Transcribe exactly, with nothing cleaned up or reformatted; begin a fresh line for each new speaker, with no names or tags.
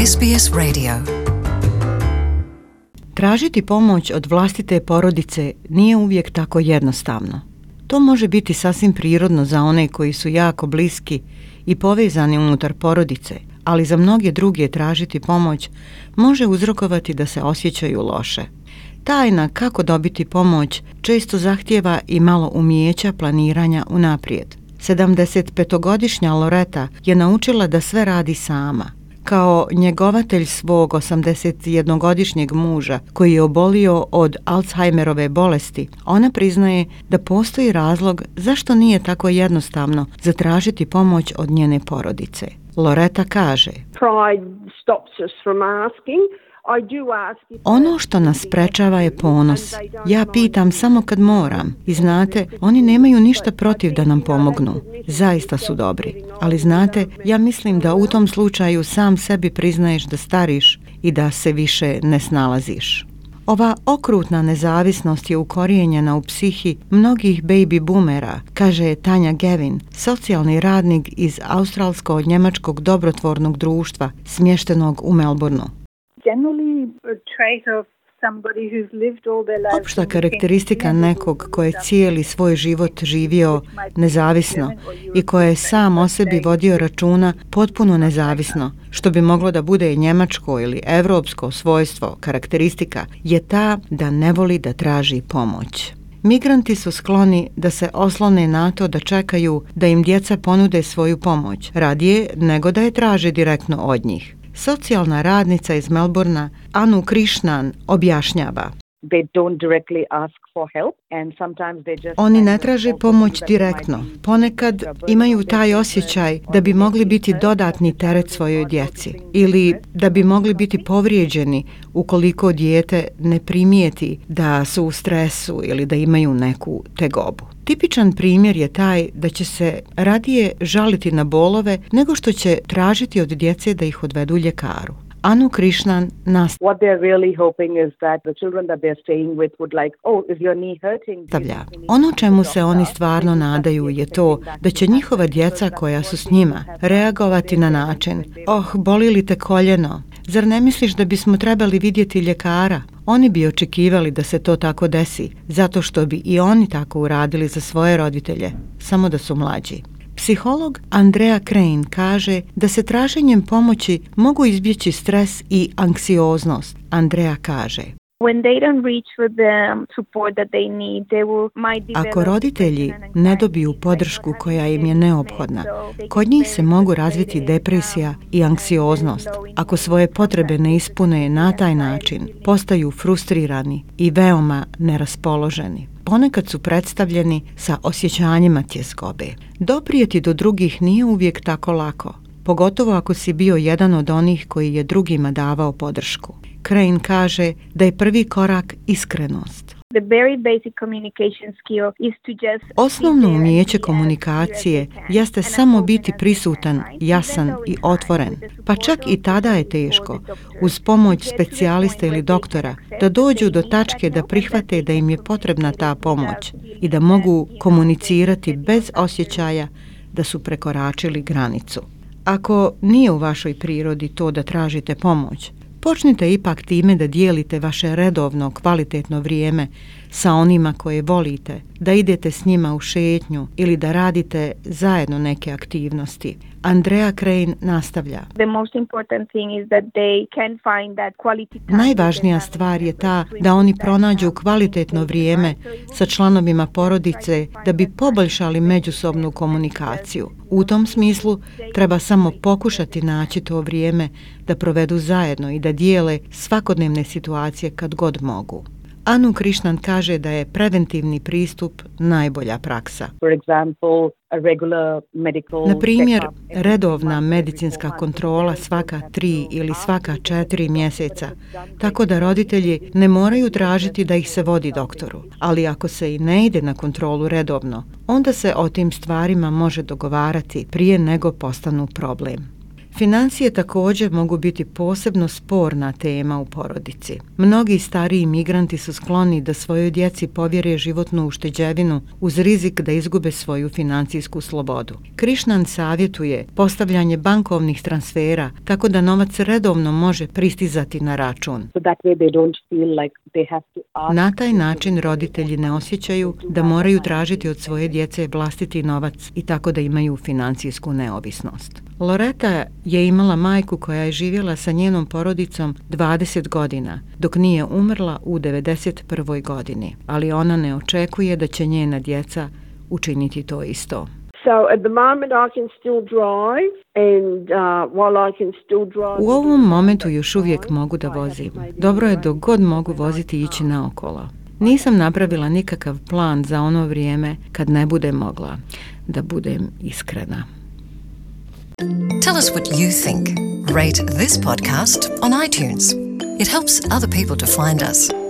S B S Radio.
Tražiti pomoć od vlastite porodice nije uvijek tako jednostavno. To može biti sasvim prirodno za one koji su jako bliski i povezani unutar porodice, ali za mnoge druge tražiti pomoć može uzrokovati da se osjećaju loše. Tajna kako dobiti pomoć često zahtijeva i malo umijeća planiranja unaprijed. sedamdesetpetogodišnja Loreta je naučila da sve radi sama. Kao njegovatelj svog osamdesetjednogodišnjeg muža koji je obolio od Alzheimerove bolesti, ona priznaje da postoji razlog zašto nije tako jednostavno zatražiti pomoć od njene porodice. Loreta kaže: ono što nas sprečava je ponos. Ja pitam samo kad moram i znate, oni nemaju ništa protiv da nam pomognu. Zaista su dobri. Ali znate, ja mislim da u tom slučaju sam sebi priznaješ da stariš i da se više ne snalaziš. Ova okrutna nezavisnost je ukorijenjena u psihi mnogih baby boomera, kaže Tanja Gavin, socijalni radnik iz australsko-njemačkog dobrotvornog društva smještenog u Melbourneu. Opšta karakteristika nekog ko je cijeli svoj život živio nezavisno i ko je sam o sebi vodio računa potpuno nezavisno, što bi moglo da bude njemačko ili evropsko svojstvo, karakteristika, je ta da ne voli da traži pomoć. Migranti su skloni da se oslone na to da čekaju da im djeca ponude svoju pomoć, radije nego da je traže direktno od njih. Socijalna radnica iz Melbournea Anu Krishnan objašnjava: oni ne traže pomoć direktno. Ponekad imaju taj osjećaj da bi mogli biti dodatni teret svojoj djeci ili da bi mogli biti povrijeđeni ukoliko dijete ne primijeti da su u stresu ili da imaju neku tegobu. Tipičan primjer je taj da će se radije žaliti na bolove nego što će tražiti od djece da ih odvedu ljekaru. Anu Krishnan nastavlja: ono čemu se oni stvarno nadaju je to da će njihova djeca koja su s njima reagovati na način: oh, boli li te koljeno? Zar ne misliš da bismo trebali vidjeti ljekara? Oni bi očekivali da se to tako desi, zato što bi i oni tako uradili za svoje roditelje, samo da su mlađi. Psiholog Andrea Crane kaže da se traženjem pomoći mogu izbjeći stres i anksioznost. Andrea kaže: ako roditelji ne dobiju podršku koja im je neophodna, kod njih se mogu razviti depresija i anksioznost. Ako svoje potrebe ne ispune na taj način, postaju frustrirani i veoma neraspoloženi. Ponekad su predstavljeni sa osjećanjima tjeskobe. Doprijeti do drugih nije uvijek tako lako, pogotovo ako si bio jedan od onih koji je drugima davao podršku. Crane kaže da je prvi korak iskrenost. Osnovno umijeće komunikacije jeste samo biti prisutan, jasan i otvoren, pa čak i tada je teško, uz pomoć specijalista ili doktora, da dođu do tačke da prihvate da im je potrebna ta pomoć i da mogu komunicirati bez osjećaja da su prekoračili granicu. Ako nije u vašoj prirodi to da tražite pomoć, počnite ipak time da dijelite vaše redovno, kvalitetno vrijeme sa onima koje volite, da idete s njima u šetnju ili da radite zajedno neke aktivnosti. Andrea Crane nastavlja: najvažnija stvar je ta da oni pronađu kvalitetno vrijeme sa članovima porodice da bi poboljšali međusobnu komunikaciju. U tom smislu treba samo pokušati naći to vrijeme da provedu zajedno i da dijele svakodnevne situacije kad god mogu. Anu Krishnan kaže da je preventivni pristup najbolja praksa. Na primjer, redovna medicinska kontrola svaka tri ili svaka četiri mjeseca, tako da roditelji ne moraju tražiti da ih se vodi doktoru. Ali ako se i ne ide na kontrolu redovno, onda se o tim stvarima može dogovarati prije nego postanu problem. Financije također mogu biti posebno sporna tema u porodici. Mnogi stariji migranti su skloni da svojoj djeci povjere životnu ušteđevinu uz rizik da izgube svoju financijsku slobodu. Krišnan savjetuje postavljanje bankovnih transfera tako da novac redovno može pristizati na račun. Na taj način roditelji ne osjećaju da moraju tražiti od svoje djece vlastiti novac i tako da imaju financijsku neovisnost. Loreta je imala majku koja je živjela sa njenom porodicom dvadeset godina, dok nije umrla u devedeset prvoj godini, ali ona ne očekuje da će njena djeca učiniti to isto. U ovom momentu još uvijek mogu da vozim. Dobro je dok god mogu voziti i ići naokolo. Nisam napravila nikakav plan za ono vrijeme kad ne budem mogla, da budem iskrena.
Tell us what you think. Rate this podcast on iTunes. It helps other people to find us.